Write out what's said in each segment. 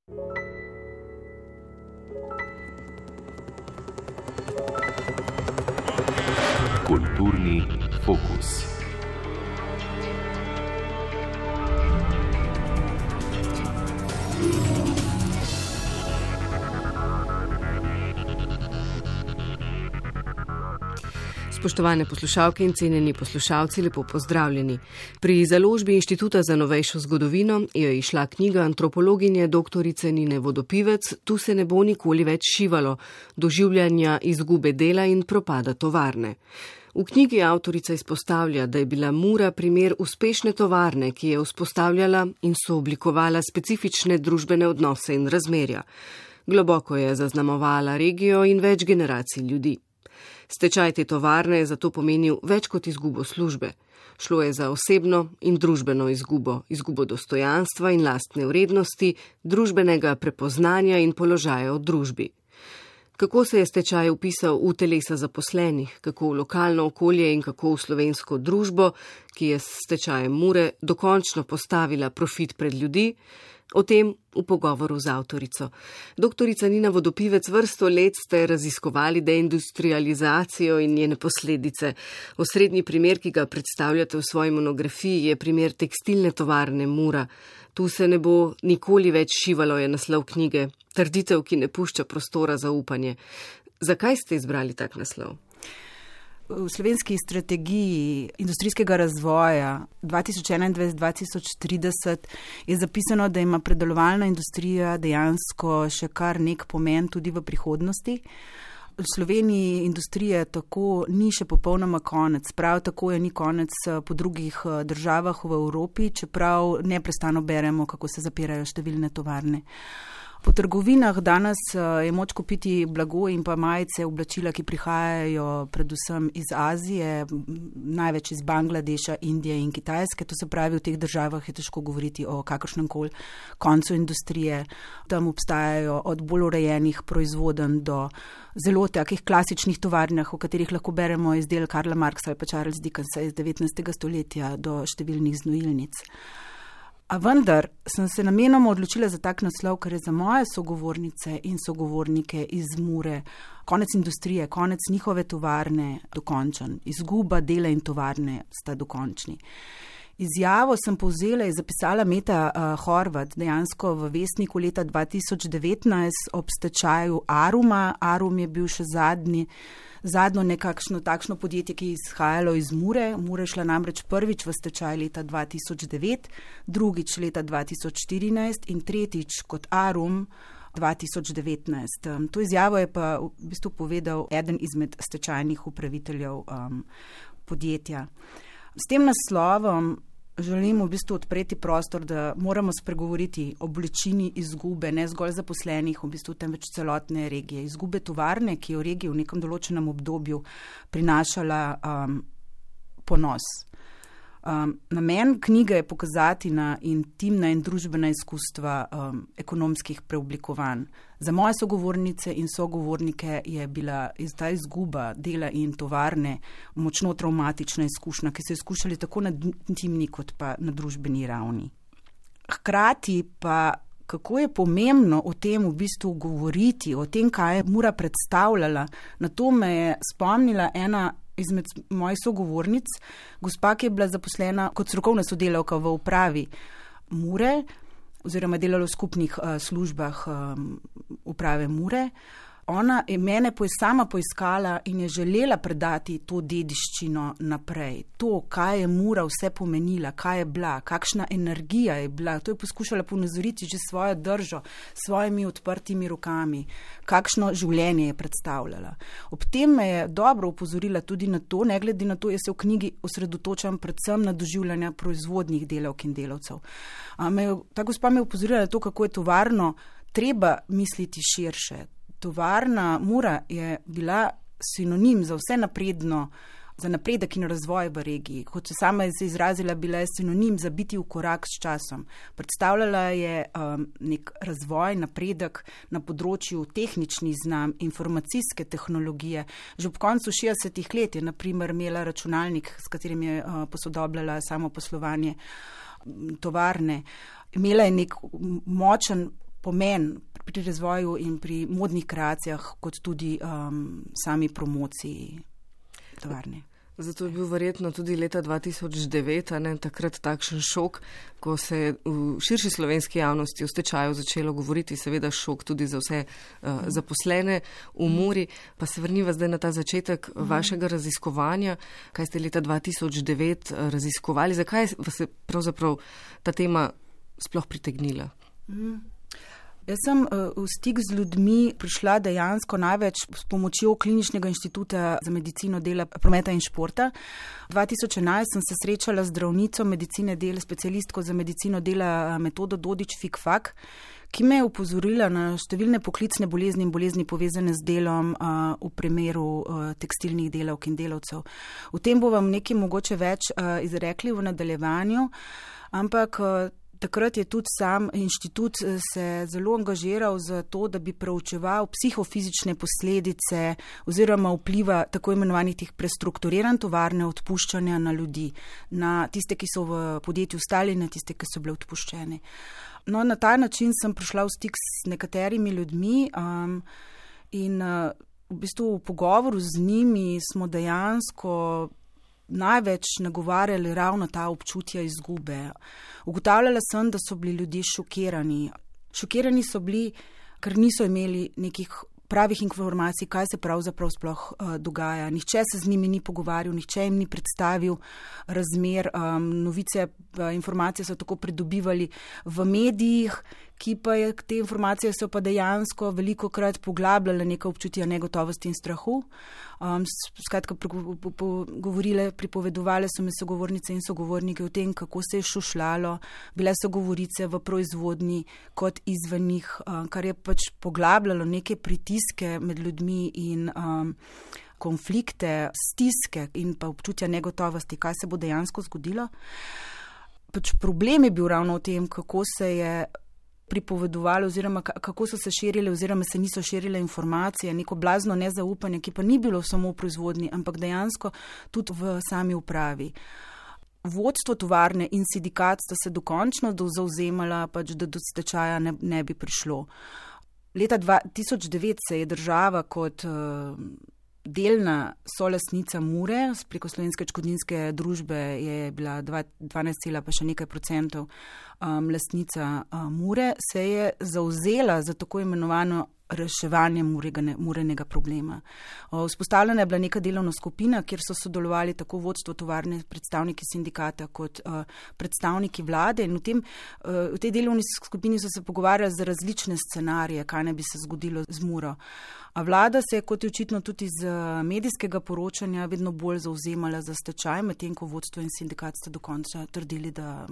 Kulturni fokus. Spoštovane poslušalke in cenjeni poslušalci, lepo pozdravljeni. Pri založbi Inštituta za novejšo zgodovino je izšla knjiga antropologinje doktorice Nine Vodopivec Tu se ne bo nikoli več šivalo, doživljanja izgube dela in propada tovarne. V knjigi avtorica izpostavlja, da je bila Mura primer uspešne tovarne, ki je vzpostavljala in sooblikovala specifične družbene odnose in razmerja. Globoko je zaznamovala regijo in več generacij ljudi. Stečaj te tovarne je zato pomenil več kot izgubo službe. Šlo je za osebno in družbeno izgubo dostojanstva in lastne vrednosti, družbenega prepoznanja in položaja v družbi. Kako se je stečaj vpisal v telesa zaposlenih, kako v lokalno okolje in kako v slovensko družbo, ki je s stečajem Mure dokončno postavila profit pred ljudi, o tem v pogovoru z avtorico. Doktorica Nina Vodopivec, vrsto let ste raziskovali deindustrializacijo in njene posledice. Osrednji primer, ki ga predstavljate v svoji monografiji, je primer tekstilne tovarne Mura. Tu se ne bo nikoli več šivalo, je naslov knjige. Trditev, ki ne pušča prostora za upanje. Zakaj ste izbrali tak naslov? V slovenski strategiji industrijskega razvoja 2021-2030 je zapisano, da ima predelovalna industrija dejansko še kar nek pomen tudi v prihodnosti. V Sloveniji industrije tako ni še popolnoma konec, prav tako je ni konec po drugih državah v Evropi, čeprav neprestano beremo, kako se zapirajo številne tovarne. Po trgovinah danes je moč kupiti blago in pa majice, oblačila, ki prihajajo predvsem iz Azije, največ iz Bangladeša, Indije in Kitajske. To se pravi, v teh državah je težko govoriti o kakršnemkoli koncu industrije. Tam obstajajo od bolj urejenih proizvodenj do zelo takih klasičnih tovarnah, v katerih lahko beremo izdel Karla Marxa ali pa Charles Dickensa iz 19. stoletja do številnih znojilnic. A vendar sem se namenoma odločila za tak naslov, ker je za moje sogovornice in sogovornike iz Mure konec industrije, konec njihove tovarne dokončen. Izguba dela in tovarne sta dokončni. Izjavo sem povzela in zapisala Meta Horvat dejansko v Vestniku leta 2019 ob stečaju Aruma. Arum je bil še zadnjo nekakšno takšno podjetje, ki je izhajalo iz Mure. Mura je šla namreč prvič v stečaj leta 2009, drugič leta 2014 in tretjič kot Arum 2019. To izjavo je pa v bistvu povedal eden izmed stečajnih upraviteljev podjetja. S tem naslovom želim v bistvu odpreti prostor, da moramo spregovoriti o bolečini izgube, ne zgolj zaposlenih, v bistvu temveč celotne regije. Izgube tovarne, ki je v regiji v nekem določenem obdobju prinašala ponos. Namen knjige je pokazati na intimna in družbena izkustva ekonomskih preoblikovanj. Za moje sogovornice in sogovornike je bila ta izguba dela in tovarne močno travmatična izkušnja, ki so jo skušali tako na intimni kot pa na družbeni ravni. Hkrati pa, kako je pomembno o tem v bistvu govoriti, o tem, kaj je Mura predstavljala, na to me je spomnila ena izmed mojih sogovornic, gospa, ki je bila zaposlena kot strokovna sodelavka v upravi Mure, oziroma delala v skupnih službah uprave Mure. Ona je mene sama poiskala in je želela predati to dediščino naprej. To, kaj je Mura vse pomenila, kaj je bila, kakšna energija je bila, to je poskušala ponazoriti že svojo držo, svojimi odprtimi rokami, kakšno življenje je predstavljala. Ob tem me je dobro opozorila tudi na to, ne glede na to, jaz se v knjigi osredotočam predvsem na doživljanja proizvodnih delavk in delavcev. Ta gospa me je opozorila na to, kako je tovarno treba misliti širše. Tovarna Mura je bila sinonim za vse napredno, za napredek in razvoj v regiji. Kot se sama izrazila, bila je sinonim za biti v korak s časom. Predstavljala je nek razvoj, napredek na področju tehničnih znanj, informacijske tehnologije. Že ob koncu 60-ih let je na primer imela računalnik, s katerim je posodobljala samo poslovanje tovarne. Imela je nek močen pomen pri razvoju in pri modnih kreacijah, kot tudi sami promociji tovarne. Zato je bil verjetno tudi leta 2009 takrat takšen šok, ko se je v širši slovenski javnosti o stečaju začelo govoriti, seveda šok tudi za vse zaposlene v Muri. Pa se vrniva zdaj na ta začetek vašega raziskovanja, kaj ste leta 2009 raziskovali, zakaj vas je pravzaprav ta tema sploh pritegnila? Jaz sem v stik z ljudmi prišla dejansko največ s pomočjo Kliničnega inštituta za medicino dela, prometa in športa. 2011 sem se srečala z zdravnico medicine dela, specialistko za medicino dela Metodo Dodič-Fikfak, ki me je upozorila na številne poklicne bolezni in bolezni povezane z delom v primeru tekstilnih delavk in delavcev. O tem bo vam nekaj mogoče več izrekli v nadaljevanju, ampak takrat je tudi sam inštitut se zelo angažiral za to, da bi preučeval psihofizične posledice oziroma vpliva tako imenovanih teh prestrukturiran tovarne odpuščanja na ljudi, na tiste, ki so v podjetju ostali, na tiste, ki so bile odpuščene. No, na ta način sem prišla v stik s nekaterimi ljudmi in v bistvu v pogovoru z njimi smo dejansko največ nagovarjali ravno ta občutja izgube. Ugotavljala sem, da so bili ljudje šokirani. Šokirani so bili, ker niso imeli nekih pravih informacij, kaj se pravzaprav sploh dogaja. Nihče se z njimi ni pogovarjal, nihče jim ni predstavil razmer. Novice, informacije so tako pridobivali v medijih, ki pa je te informacije so pa dejansko velikokrat poglabljale neka občutja negotovosti in strahu. Skratka, pripovedovale so mi sogovornice in sogovorniki o tem, kako se je šušljalo, bile so govorice v proizvodnji kot izven njih, kar je pač poglabljalo neke pritiske med ljudmi in konflikte, stiske in pa občutja negotovosti, kaj se bo dejansko zgodilo. Pač problem je bil ravno v tem, kako se je pripovedovali oziroma kako so se širile oziroma se niso širile informacije, neko blazno nezaupanje, ki pa ni bilo samo v proizvodnji, ampak dejansko tudi v sami upravi. Vodstvo tovarne in sindikat sta se dokončno zavzemala, pač, da do stečaja ne bi prišlo. Leta 2009 se je država kot delna solastnica Mure, preko Slovenske odškodninske družbe je bila 12, pa še nekaj procentov lastnica Mure, se je zavzela za tako imenovano reševanje Murenega problema. Vzpostavljena je bila neka delovna skupina, kjer so sodelovali tako vodstvo tovarne, predstavniki sindikata kot predstavniki vlade in v tej delovni skupini so se pogovarjali za različne scenarije, kaj ne bi se zgodilo z Muro. A vlada se je, kot je očitno tudi iz medijskega poročanja, vedno bolj zavzemala za stečaj, medtem ko vodstvo in sindikat sta dokončno trdili, da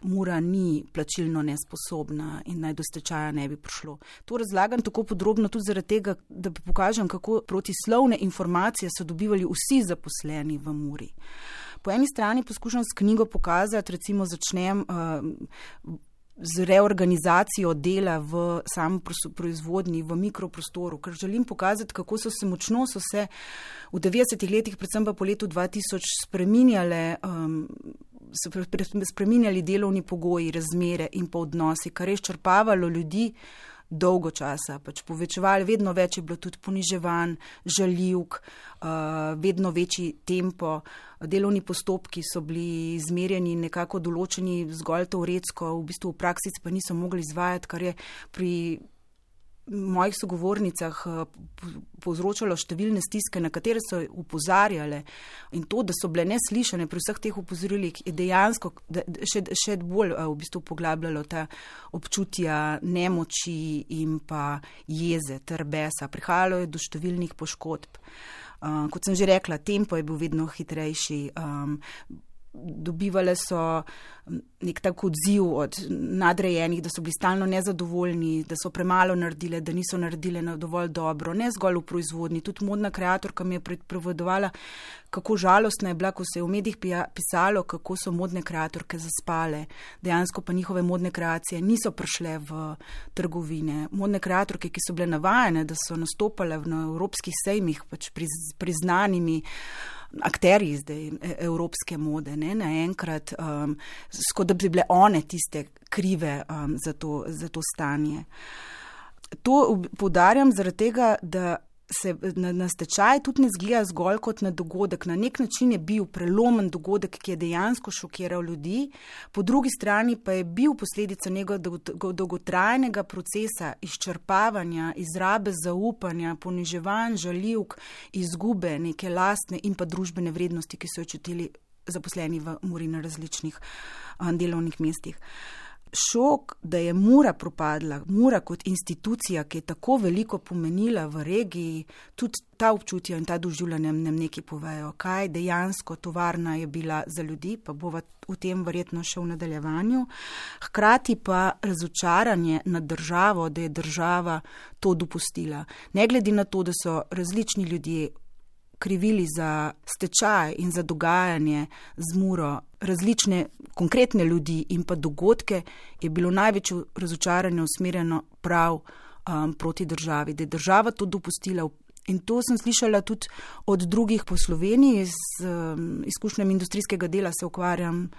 Mura ni plačilno nesposobna in naj do stečaja ne bi prišlo. To razlagam tako podrobno tudi zaradi tega, da pokažem, kako protislovne informacije so dobivali vsi zaposleni v Muri. Po eni strani poskušam s knjigo pokazati, recimo začnem z reorganizacijo dela v samo proizvodnji, v mikroprostoru, ker želim pokazati, kako so se v 90-ih letih, predvsem pa po letu 2000 spreminjali delovni pogoji, razmere in pa odnosi, kar je izčrpavalo ljudi dolgo časa, pač povečevali, vedno več je bilo tudi poniževanj, žaljivk, vedno večji tempo, delovni postopki so bili izmerjeni nekako določeni zgolj teoretsko, v bistvu v praksi pa niso mogli izvajati, kar je pri mojih sogovornicah povzročalo številne stiske, na katere so upozarjale, in to, da so bile neslišane pri vseh teh upozorilih, je dejansko še bolj v bistvu poglabljalo ta občutja nemoči in pa jeze ter besa. Prihajalo je do številnih poškodb. Kot sem že rekla, tempo je bil vedno hitrejši, dobivale so nek tak odziv od nadrejenih, da so bili stalno nezadovoljni, da so premalo naredile, da niso naredile dovolj dobro, ne zgolj v proizvodnji. Tudi modna kreatorka mi je pripovedovala, kako žalostna je bila, ko se je v medijih pisalo, kako so modne kreatorke zaspale. Dejansko pa njihove modne kreacije niso prišle v trgovine. Modne kreatorke, ki so bile navajene, da so nastopale na evropskih sejmih, pač priznanimi akterji zdaj evropske mode, ne, naenkrat, kot da bi bile one tiste krive za to stanje. To poudarjam zaradi tega, da se na stečaj tudi ne zgleda zgolj kot na dogodek. Na nek način je bil prelomen dogodek, ki je dejansko šokiral ljudi, po drugi strani pa je bil posledica njegovega dolgotrajnega procesa izčrpavanja, izrabe zaupanja, poniževanj, žaljivk, izgube neke lastne in pa družbene vrednosti, ki so jo čutili zaposleni v Muri na različnih delovnih mestih. Šok, da je Mura propadla, Mura kot institucija, ki je tako veliko pomenila v regiji, tudi ta občutja in ta doživljanja nam nekaj povejo, kaj dejansko tovarna je bila za ljudi, pa bova v tem verjetno še v nadaljevanju. Hkrati pa razočaranje nad državo, da je država to dopustila. Ne glede na to, da so različni ljudje krivili za stečaj in za dogajanje z Muro različne konkretne ljudi in pa dogodke, je bilo največje razočaranje usmerjeno prav proti državi, da je država to dopustila. In to sem slišala tudi od drugih po Sloveniji, z izkušnjami industrijskega dela se ukvarjam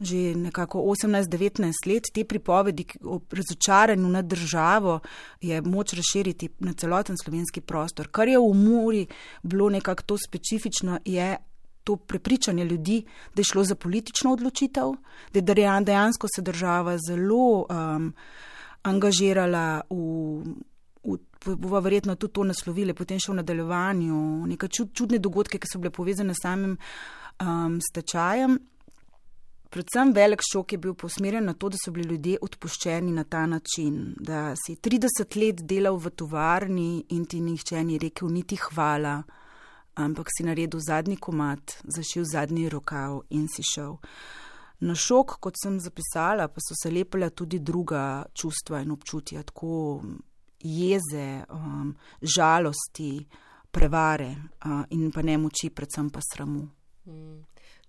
že nekako 18-19 let. Te pripovedi o razočaranju nad državo je moč razširiti na celoten slovenski prostor. Kar je v Muri bilo nekako to specifično, je to prepričanje ljudi, da je šlo za politično odločitev, da je dejansko se država zelo angažirala bova verjetno tudi to naslovili, potem še v nadaljevanju, neke čudne dogodke, ki so bile povezane s samim stečajem. Predvsem velik šok je bil posmerjen na to, da so bili ljudje odpuščeni na ta način, da si 30 let delal v tovarni in ti nihče ni rekel niti hvala, ampak si naredil zadnji komad, zašil zadnji rokav in si šel. Na šok, kot sem zapisala, pa so se lepila tudi druga čustva in občutja, tako jeze, žalosti, prevare in pa nemoči, predvsem pa sramu.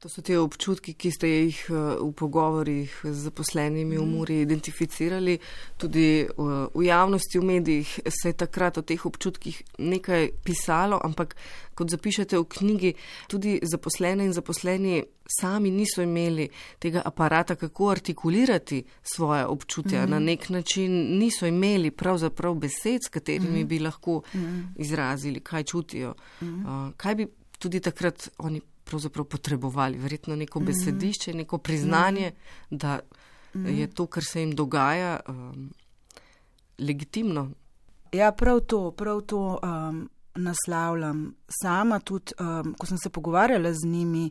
To so te občutki, ki ste jih v pogovorih z zaposlenimi v Muri identificirali. Tudi v javnosti, v medijih se je takrat o teh občutkih nekaj pisalo, ampak kot zapišete v knjigi, tudi zaposlene in zaposleni sami niso imeli tega aparata, kako artikulirati svoje občutja. Na nek način niso imeli pravzaprav besed, s katerimi bi lahko izrazili, kaj čutijo. Kaj bi tudi takrat oni pravzaprav potrebovali? Verjetno neko besedišče, neko priznanje, da je to, kar se jim dogaja, legitimno. Ja, prav to naslavljam. Sama tudi, ko sem se pogovarjala z njimi,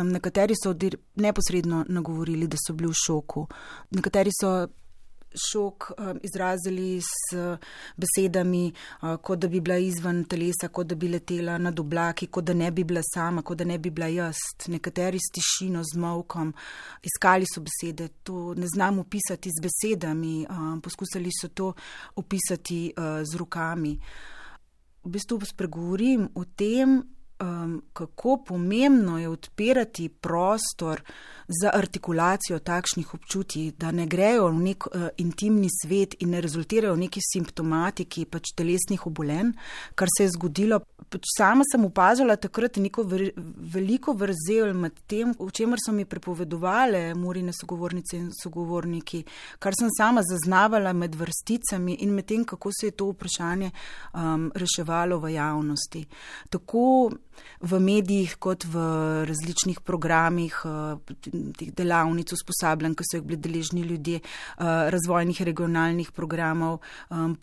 nekateri so neposredno nagovorili, da so bili v šoku. Nekateri so šok izrazili s besedami, kot da bi bila izven telesa, kot da bi letela nad oblaki, kot da ne bi bila sama, kot da ne bi bila jaz. Nekateri s tišino, z molkom, iskali so besede, to ne znam opisati z besedami, poskusili so to opisati z rokami. V bistvu spregovorim o tem, kako pomembno je odpirati prostor za artikulacijo takšnih občutij, da ne grejo v nek intimni svet in ne rezultirajo v neki simptomatiki telesnih obolenj, kar se je zgodilo. Sama sem opazila takrat neko veliko vrzel med tem, o čemer so mi prepovedovale Murine sogovornice in sogovorniki, kar sem sama zaznavala med vrsticami in med tem, kako se je to vprašanje reševalo v javnosti. Tako v medijih kot v različnih programih, teh delavnic, usposabljanj, ki so jih bili deležni ljudje, razvojnih regionalnih programov,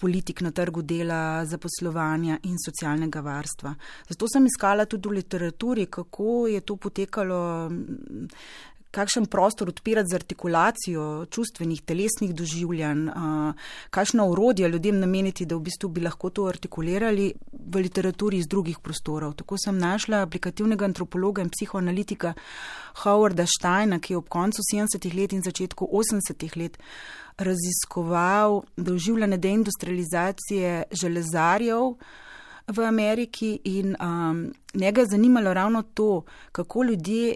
politik na trgu dela, zaposlovanja in socialnega varstva. Zato sem iskala tudi v literaturi, kako je to potekalo, kakšen prostor odpirati z artikulacijo čustvenih, telesnih doživljanj, kakšno orodje ljudem nameniti, da v bistvu bi lahko to artikulirali v literaturi iz drugih prostorov. Tako sem našla aplikativnega antropologa in psihoanalitika Howarda Steina, ki je ob koncu 70-ih let in začetku 80-ih let raziskoval doživljanje deindustrializacije železarjev v Ameriki in njega je zanimalo ravno to, kako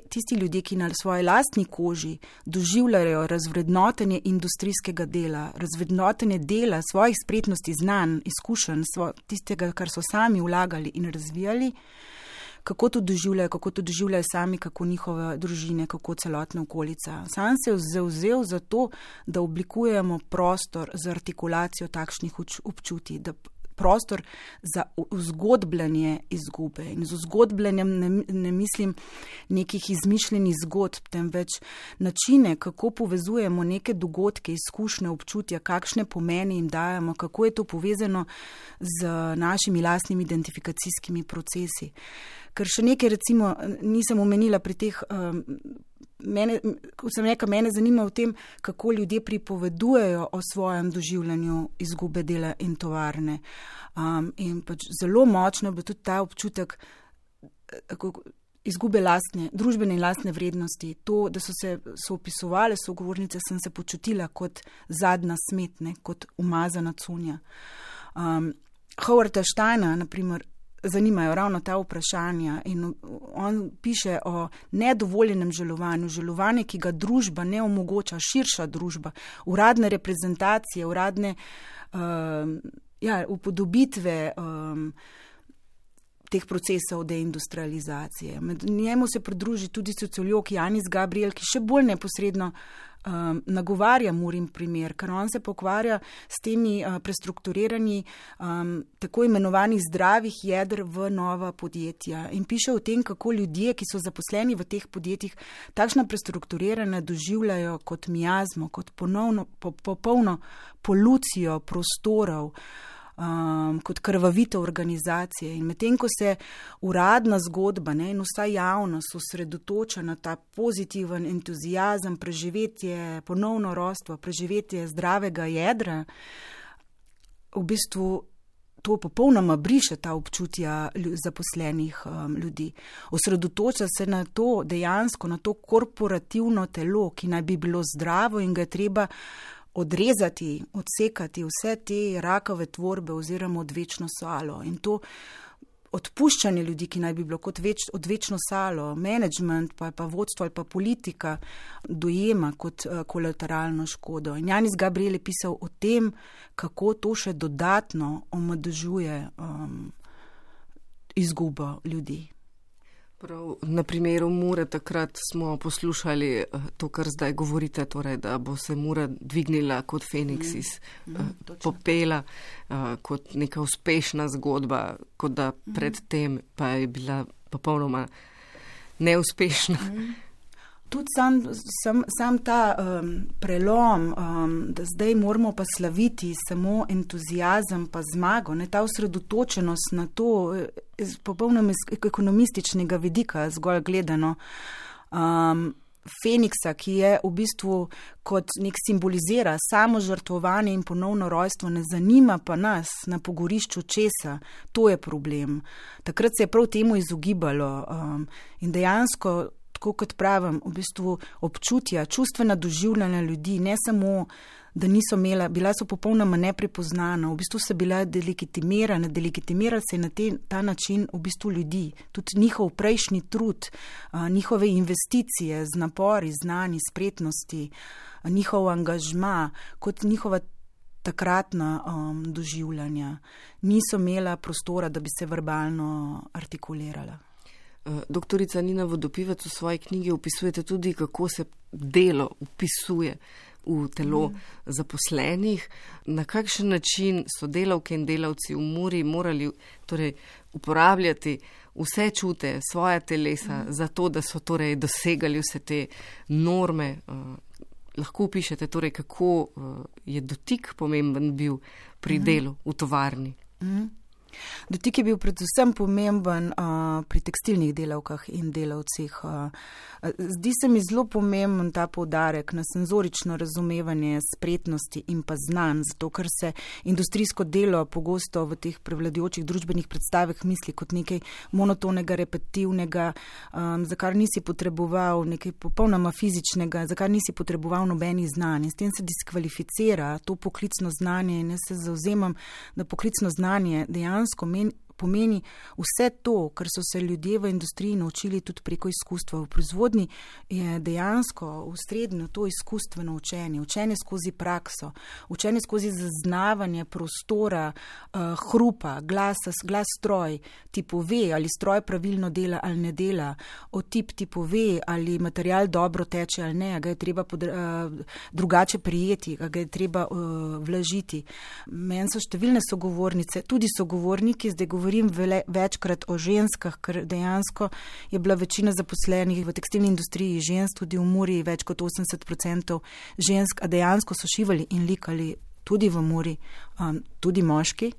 tisti ljudje, ki na svoji lastni koži doživljajo razvrednotenje industrijskega dela, razvrednotenje dela, svojih spretnosti, znanj, izkušenj, tistega, kar so sami vlagali in razvijali, kako to doživljajo sami, kako njihove družine, kako celotna okolica. Sam se je zavzel za to, da oblikujemo prostor za artikulacijo takšnih občutij, da prostor za vzgodbljanje izgube. In z vzgodbljanjem ne mislim nekih izmišljenih zgodb, temveč načine, kako povezujemo neke dogodke, izkušnje, občutja, kakšne pomeni jim dajemo, kako je to povezano z našimi lastnimi identifikacijskimi procesi. Ker še nekaj, recimo, nisem omenila pri teh, mene zanima v tem, kako ljudje pripovedujejo o svojem doživljanju izgube dela in tovarne. In pač zelo močno bo tudi ta občutek izgube družbene in lastne vrednosti. To, da so opisovale sogovornice, sem se počutila kot zadnja smetne, kot umazana cunja. Howarda Steina, na primer, zanimajo ravno ta vprašanja in on piše o nedovoljenem žalovanju, žalovanje, ki ga družba ne omogoča, širša družba, uradne reprezentacije, uradne upodobitve teh procesov deindustrializacije. Med njemu se pridruži tudi sociolog Janis Gabriel, ki še bolj neposredno nagovarja Murin primer, ker on se pokvarja s temi prestrukturiranji tako imenovanih zdravih jedr v nova podjetja in piše o tem, kako ljudje, ki so zaposleni v teh podjetjih, takšna prestrukturiranja doživljajo kot miazmo, kot popolno polucijo prostorov, kot krvavitev organizacije. In medtem, ko se uradna zgodba in vsa javnost osredotoča na ta pozitiven entuziazem, preživetje, ponovno rojstvo, preživetje zdravega jedra, v bistvu to popolnoma briše ta občutja zaposlenih ljudi. Osredotoča se na to dejansko, na to korporativno telo, ki naj bi bilo zdravo in ga je treba odrezati, odsekati vse te rakave tvorbe oziroma odvečno salo. In to odpuščanje ljudi, ki naj bi bilo kot odvečno salo, management, pa vodstvo ali pa politika dojema kot kolateralno škodo. In Janis Gabriel je pisal o tem, kako to še dodatno omadežuje izgubo ljudi. Prav, na primeru Mure takrat smo poslušali to, kar zdaj govorite, torej, da bo se Mura dvignila kot Feniks iz popela, kot neka uspešna zgodba, kot da predtem pa je bila popolnoma neuspešna. Tudi sam ta prelom, da zdaj moramo pa slaviti samo entuziazem pa zmago, ta osredotočenost na to iz popolnoma ekonomističnega vidika zgolj gledano, Feniksa, ki je v bistvu kot nek simbolizira samo žrtvovanje in ponovno rojstvo, ne zanima pa nas na pogorišču česa, to je problem. Takrat se je prav temu izogibalo in dejansko, tako kot pravim, v bistvu občutja, čustvena doživljanja ljudi, ne samo, da niso imela, bila so popolnoma neprepoznana, v bistvu so bila delegitimirana, delegitimirala se je na ta način v bistvu ljudi, tudi njihov prejšnji trud, njihove investicije z napori, znanji, spretnosti, njihov angažma, kot njihova takratna doživljanja, niso imela prostora, da bi se verbalno artikulirala. Doktorica Nina Vodopivec, v svoji knjigi opisujete tudi, kako se delo upisuje v telo zaposlenih, na kakšen način so delavke in delavci v Muri morali torej uporabljati vse čute, svoja telesa, zato da so torej dosegali vse te norme. Lahko opišete torej, kako je dotik pomemben bil pri delu v tovarni. Dotik je bil predvsem pomemben pri tekstilnih delavkah in delavcih. Zdi se mi zelo pomemben ta poudarek na senzorično razumevanje spretnosti in pa znanj, zato ker se industrijsko delo pogosto v teh prevladujočih družbenih predstavah misli kot nekaj monotonega, repetitivnega, za kar nisi potreboval nekaj popolnoma fizičnega, za kar nisi potreboval nobenih znanj. In s tem se diskvalificira to poklicno znanje in jaz se zavzemam, da poklicno znanje dejansko pomeni vse to, kar so se ljudje v industriji naučili tudi preko izkustva. V proizvodnji je dejansko v srednjo to izkustveno učenje, učenje skozi prakso, učenje skozi zaznavanje prostora, hrupa, glas stroj, ti pove, ali stroj pravilno dela ali ne dela, otip ti pove, ali material dobro teče ali ne, ga je treba drugače prijeti, ga je treba vlažiti. Meni so številne sogovornice, tudi sogovorniki, zdaj govorim večkrat o ženskah, ker dejansko je bila večina zaposlenih v tekstilni industriji žensk, tudi v Muri več kot 80% žensk, a dejansko so šivali in likali tudi v Muri, tudi moški.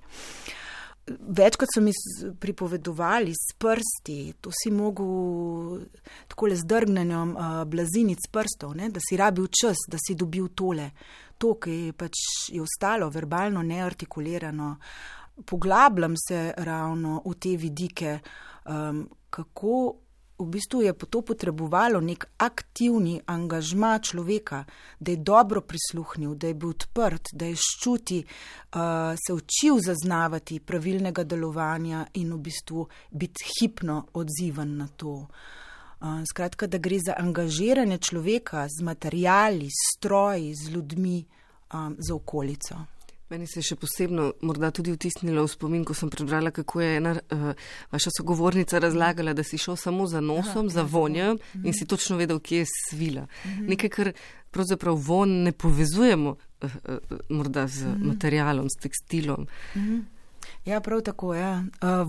Večkrat so mi pripovedovali s prsti, to si mogel takole z drgnenjem blazinic prstov, ne, da si rabil čas, da si dobil tole. To, ki pač je ostalo verbalno neartikulirano. Poglabljam se ravno v te vidike, kako v bistvu je to potrebovalo nek aktivni angažma človeka, da je dobro prisluhnil, da je bil odprt, da je ščuti, se učil zaznavati pravilnega delovanja in v bistvu biti hipno odziven na to. Skratka, da gre za angažiranje človeka z materiali, s stroji, z ljudmi, za okolico. Meni se je še posebno morda tudi vtisnilo v spomin, ko sem prebrala, kako je ena vaša sogovornica razlagala, da si šel samo za nosom, za vonjem in si točno vedel, kje je svila. Nekaj, kar pravzaprav von ne povezujemo morda z materialom, s tekstilom. Ja, prav tako, ja.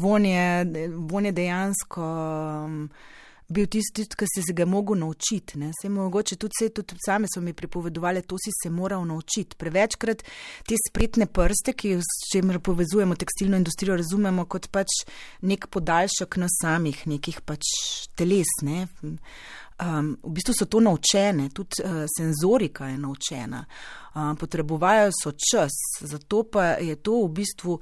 Von je dejansko bil tisti, ki si se ga mogel naučiti. Mogoče tudi same so mi pripovedovali, to si se moral naučiti. Prevečkrat te spretne prste, ki s čemer povezujemo tekstilno industrijo, razumemo kot pač nek podaljšek nas samih, nekih pač teles. Ne? V bistvu so to naučene, tudi senzorika je naučena. Potrebujejo so čas, zato pa je to v bistvu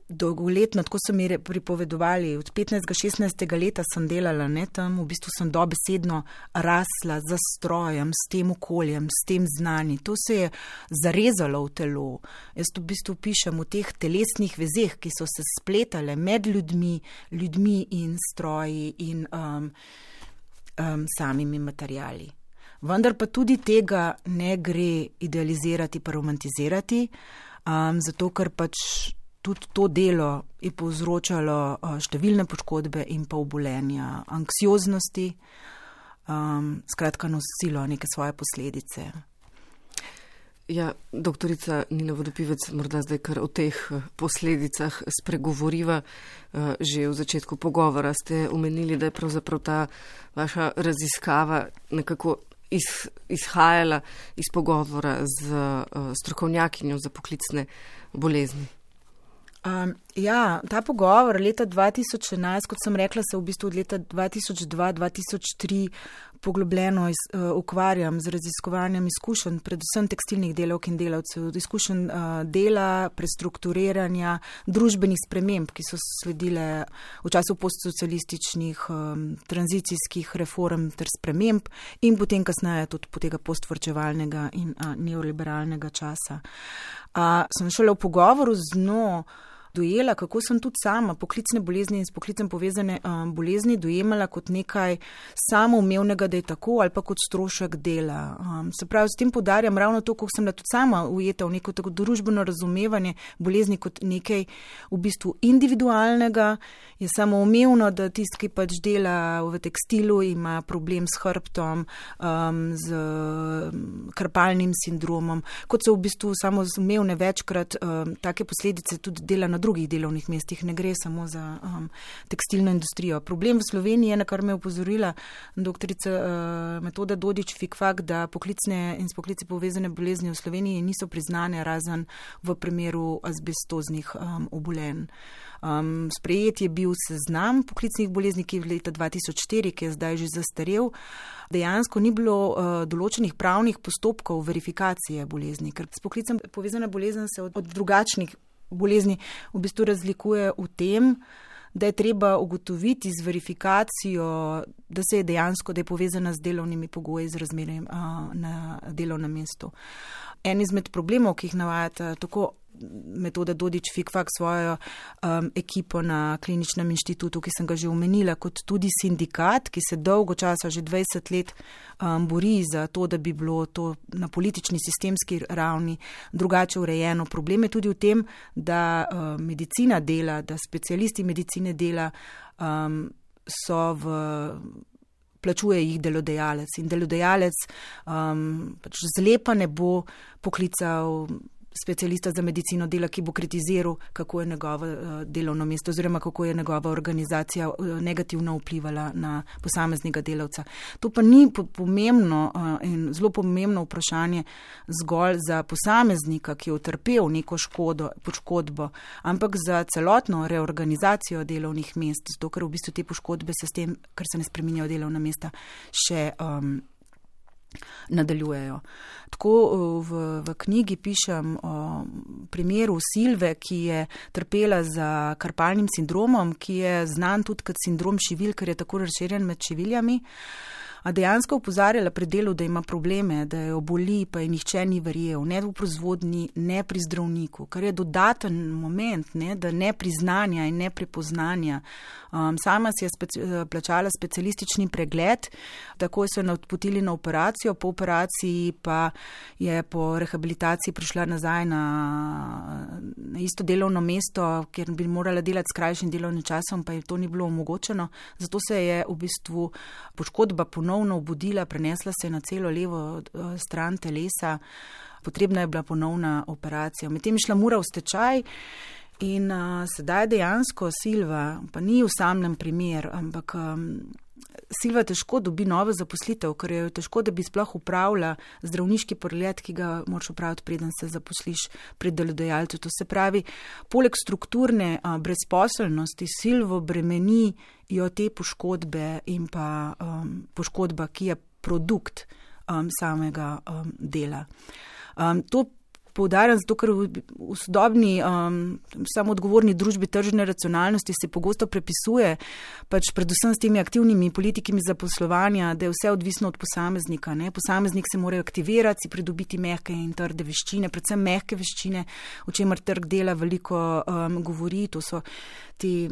dolgoletno, tako so mi pripovedovali, od 15-16 leta sem delala, ne, tam v bistvu sem dobesedno rasla za strojem, s tem okoljem, s tem znanjem. To se je zarezalo v telo. Jaz v bistvu pišem o teh telesnih vezeh, ki so se spletale med ljudmi in stroji in samimi materiali. Vendar pa tudi tega ne gre idealizirati pa romantizirati, zato ker pač tudi to delo je povzročalo številne poškodbe in pa obolenja, anksioznosti, skratka nosilo neke svoje posledice. Ja, doktorica Nina Vodopivec, morda zdaj kar o teh posledicah spregovoriva. Že v začetku pogovora ste omenili, da je pravzaprav ta vaša raziskava nekako izhajala iz pogovora z strokovnjakinjo za poklicne bolezni. Ja, ta pogovor leta 2011, kot sem rekla, se v bistvu od leta 2002-2003 poglobljeno ukvarjam z raziskovanjem izkušenj, predvsem tekstilnih delavk in delavcev, izkušenj dela, prestrukturiranja, družbenih sprememb, ki so sledile v času postsocialističnih tranzicijskih reform ter sprememb in potem kasneje tudi po tega postvarčevalnega in neoliberalnega časa. Sem šele v pogovoru z njo dojela, kako sem tudi sama poklicne bolezni in s poklicem povezane bolezni dojemala kot nekaj samoumevnega, da je tako, ali pa kot strošek dela. Se pravi, s tem poudarjam ravno to, kako sem da tudi sama ujeta v neko tako družbeno razumevanje bolezni kot nekaj v bistvu individualnega. Je samoumevno, da tisti, ki pač dela v tekstilu, ima problem s hrbtom, z krpalnim sindromom, kot so v bistvu samoumevne večkrat take posledice tudi dela na drugih delovnih mestih, ne gre samo za tekstilno industrijo. Problem v Sloveniji je, na kar me je opozorila doktorica Metoda Dodič-Fikfak, da poklicne in s poklici povezane bolezni v Sloveniji niso priznane razen v primeru azbestoznih obolenj. Sprejet je bil seznam poklicnih bolezni, ki je v leta 2004, ki je zdaj že zastarel. Dejansko ni bilo določenih pravnih postopkov verifikacije bolezni, ker s poklicem povezana bolezen se od drugačnih bolezni v bistvu razlikuje v tem, da je treba ugotoviti z verifikacijo, da se je dejansko, da je povezana z delovnimi pogoji, z razmerjem na delovnem mestu. En izmed problemov, ki jih navajate, tako Metoda Dodič-Fikfak svojo ekipo na Kliničnem inštitutu, ki sem ga že omenila, kot tudi sindikat, ki se dolgo časa, že 20 let, bori za to, da bi bilo to na politični, sistemski ravni drugače urejeno. Problem je tudi v tem, da medicina dela, da specialisti medicine dela plačuje jih delodajalec in delodajalec pač zlepa ne bo poklical specialista za medicino dela, ki bo kritiziral, kako je njegovo delovno mesto oziroma kako je njegova organizacija negativno vplivala na posameznega delavca. To pa ni pomembno in zelo pomembno vprašanje zgolj za posameznika, ki je utrpel neko poškodbo, ampak za celotno reorganizacijo delovnih mest, zato ker v bistvu te poškodbe se s tem, ker se ne spreminjajo delovna mesta, še nadaljujejo. Tako v knjigi pišem o primeru Silve, ki je trpela za karpalnim sindromom, ki je znan tudi kot sindrom šivil, ker je tako razširjen med šiviljami. A dejansko opozarjala pri delu, da ima probleme, da jo boli, pa je nihče ni verjel, ne v proizvodnji, ne pri zdravniku, kar je dodaten moment, ne, da ne priznanja in ne prepoznanja. Sama si je plačala specialistični pregled, tako so jo odpotili na operacijo, po operaciji pa je po rehabilitaciji prišla nazaj na isto delovno mesto, kjer bi morala delati s krajšim delovnim časom, pa je to ni bilo omogočeno. Zato se je v bistvu poškodba ponovno obudila, prenesla se na celo levo stran telesa, potrebna je bila ponovna operacija. Medtem je šla Mura v stečaj in sedaj dejansko Silva, pa ni v samem primer, ampak Silva težko dobi novo zaposlitev, ker je težko, da bi sploh upravila zdravniški pregled, ki ga moraš upraviti, preden se zaposliš pri delodajalcu. To se pravi, poleg strukturne brezposelnosti Silvo bremenijo te poškodbe in pa poškodba, ki je produkt samega dela. To poudarjam zato, ker v sodobni samoodgovorni družbi tržne racionalnosti se pogosto prepisuje, pač predvsem s temi aktivnimi politikami zaposlovanja, da je vse odvisno od posameznika. Ne? Posameznik se mora aktivirati, si pridobiti mehke in trde veščine, predvsem mehke veščine, o čemer trg dela veliko govori, to so te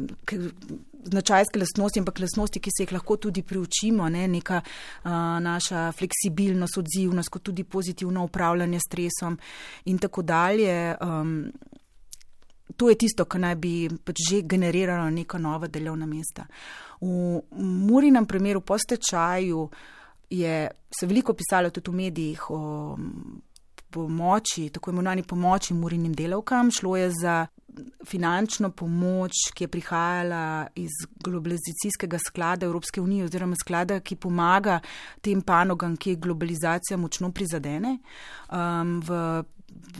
značajske lastnosti, ampak lastnosti, ki se jih lahko tudi priučimo, ne? Neka naša fleksibilnost, odzivnost, kot tudi pozitivno upravljanje s stresom in tako dalje. To je tisto, kar naj bi pač že generiralo neka nova delovna mesta. V Murinem primeru po stečaju se veliko pisalo tudi v medijih o pomoči, tako imenovani pomoči Murinim delavkam. Šlo je za finančno pomoč, ki je prihajala iz globalizacijskega sklada Evropske unije oziroma sklada, ki pomaga tem panogam, ki je globalizacija močno prizadene. V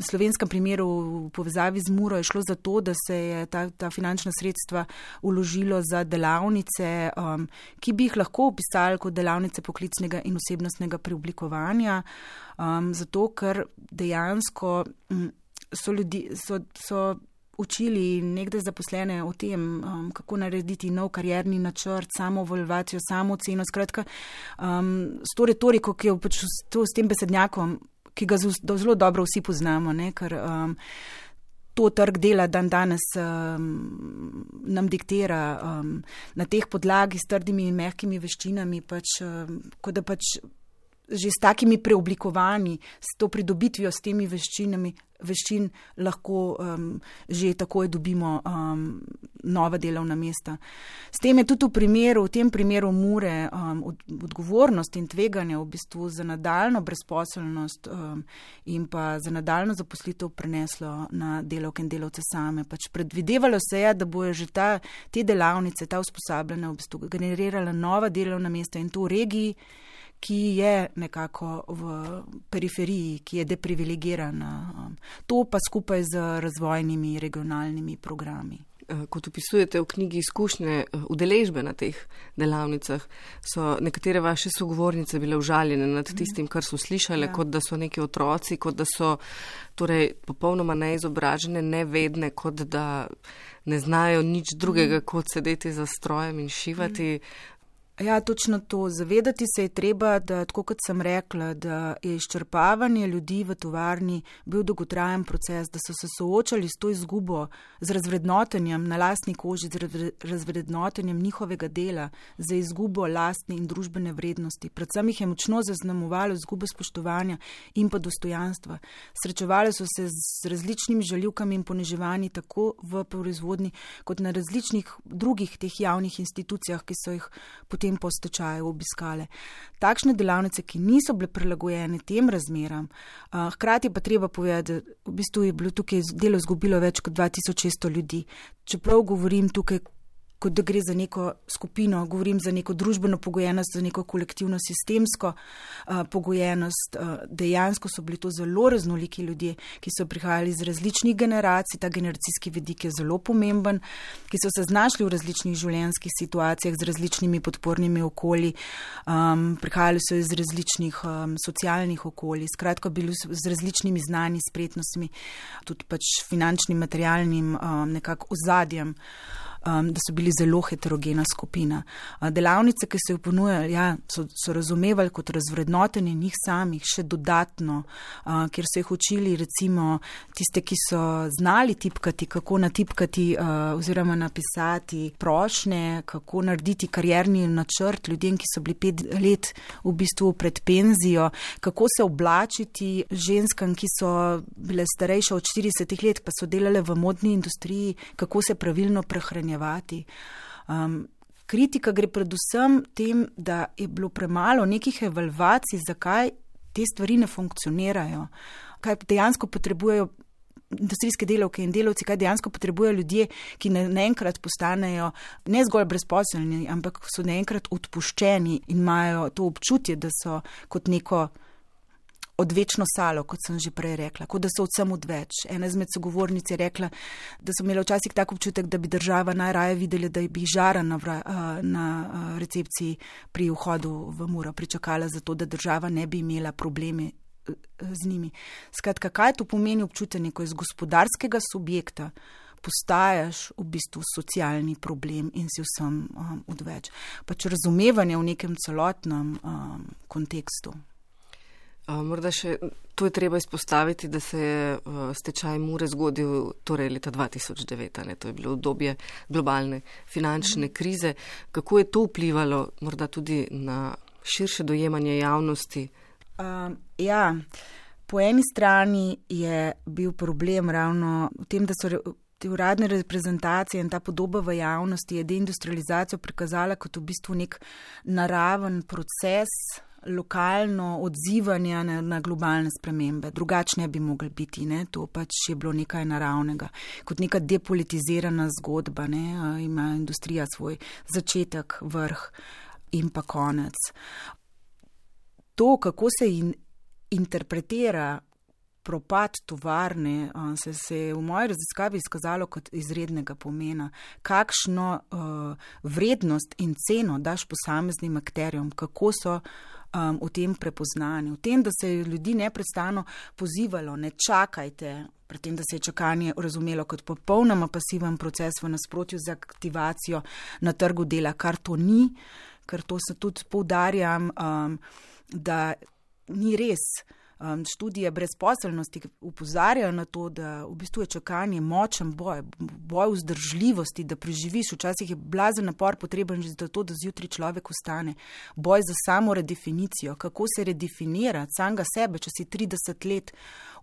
slovenskem primeru v povezavi z Muro je šlo za to, da se je ta finančna sredstva vložilo za delavnice, ki bi jih lahko opisali kot delavnice poklicnega in osebnostnega preoblikovanja, zato ker dejansko so učili nekdaj zaposlene o tem, kako narediti nov karierni načrt, samoevalvacijo, samooceno, skratka, s to retoriko, ki je pač s tem besednjakom, ki ga zelo dobro vsi poznamo, ne, ker to trg dela danes nam diktira na teh podlagi s trdimi in mehkimi veščinami, pač, kot da pač že s takimi preoblikovanji, s to pridobitvijo, s temi veščin lahko že takoj dobimo nova delovna mesta. S tem je tudi v tem primeru Mure odgovornost in tveganje v bistvu za nadaljno brezposelnost in pa za nadaljno zaposlitev preneslo na delavke in delavce same. Pač predvidevalo se je, da bojo že te delavnice, ta usposabljanja v bistvu generirala nova delovna mesta in to v regiji, ki je nekako v periferiji, ki je deprivilegirana. To pa skupaj z razvojnimi regionalnimi programi. Kot opisujete v knjigi izkušnje udeležbe na teh delavnicah, so nekatere vaše sogovornice bile užaljene nad tistim, kar so slišale, kot da so neki otroci, kot da so torej popolnoma neizobražene, nevedne, kot da ne znajo nič drugega, kot sedeti za strojem in šivati. Ja, točno to. Zavedati se je treba, da, tako kot sem rekla, da je izčrpavanje ljudi v tovarni bil dolgotrajen proces, da so se soočali s to izgubo, z razvrednotenjem na lastni koži, z razvrednotenjem njihovega dela, za izgubo lastne in družbene vrednosti. Predvsem jih je močno zaznamovalo izgubo spoštovanja in pa dostojanstva. Srečevali so se z različnimi žaljivkami in poniževanji tako v proizvodni, kot na različnih drugih teh javnih institucijah, ki so jih potem po stečaju obiskale. Takšne delavnice, ki niso bile prilagojene tem razmeram, hkrati pa treba povedati, da v bistvu je bilo tukaj delo izgubilo več kot 2600 ljudi. Čeprav govorim tukaj, kot da gre za neko skupino, govorim za neko družbeno pogojenost, za neko kolektivno sistemsko pogojenost. Dejansko so bili to zelo raznoliki ljudje, ki so prihajali iz različnih generacij, ta generacijski vidik je zelo pomemben, ki so se znašli v različnih življenjskih situacijah z različnimi podpornimi okolji, prihajali so iz različnih socialnih okolij, skratka bili z različnimi znanji, spretnostmi, tudi pač finančnim, materialnim nekako ozadjem, da so bili zelo heterogena skupina. Delavnice, ki so jo ponujali, so razumevali kot razvrednotenje njih samih, še dodatno, kjer so jih učili recimo tiste, ki so znali tipkati, kako natipkati oziroma napisati prošnje, kako narediti karierni načrt ljudem, ki so bili 5 let v bistvu pred penzijo, kako se oblačiti ženskam, ki so bile starejše od 40 let, pa so delale v modni industriji, kako se pravilno prehranjevati. Kritika gre predvsem tem, da je bilo premalo nekih evalvacij, zakaj te stvari ne funkcionirajo, kaj dejansko potrebujejo industrijske delavke in delavci, kaj dejansko potrebujejo ljudje, ki naenkrat postanejo ne zgolj brezposelni, ampak so naenkrat odpuščeni in imajo to občutje, da so kot neko odvečno salo, kot sem že prej rekla, kot da so vsem odveč. Ena izmed sogovornic je rekla, da so imeli včasih tak občutek, da bi država najraje videli, da bi žara na recepciji pri vhodu v Muro pričakala za to, da država ne bi imela probleme z njimi. Skratka, kaj to pomeni občutenje, ko iz gospodarskega subjekta postajaš v bistvu socialni problem in si vsem odveč. Pač razumevanje v nekem celotnem kontekstu. Morda še to je treba izpostaviti, da se je stečaj Mure zgodil torej leta 2009, to je bilo obdobje globalne finančne krize. Kako je to vplivalo morda tudi na širše dojemanje javnosti? Po eni strani je bil problem ravno v tem, da so te uradne reprezentacije in ta podoba v javnosti je deindustrializacijo prikazala kot v bistvu nek naraven proces, lokalno odzivanje na globalne spremembe. Drugačne bi mogli biti, to pač je bilo nekaj naravnega. Kot neka depolitizirana zgodba, ima industrija svoj začetek, vrh in pa konec. To, kako se interpretira propad tovarne, se je v moji raziskavi izkazalo kot izrednega pomena. Kakšno vrednost in ceno daš posameznim akterjem, kako so v tem prepoznani, v tem, da se je ljudi neprestano pozivalo, ne čakajte, pri tem, da se je čakanje razumelo kot popolnoma pasiven proces v nasprotju z aktivacijo na trgu dela, kar to ni, ker to se tudi poudarjam, da ni res. Študije brezposelnosti upozarjajo na to, da v bistvu je čakanje močen boj vzdržljivosti, da preživiš. Včasih je blazen napor potreben že zato, da zjutraj človek ostane. Boj za samo redefinicijo, kako se redefinirati samega sebe, če si 30 let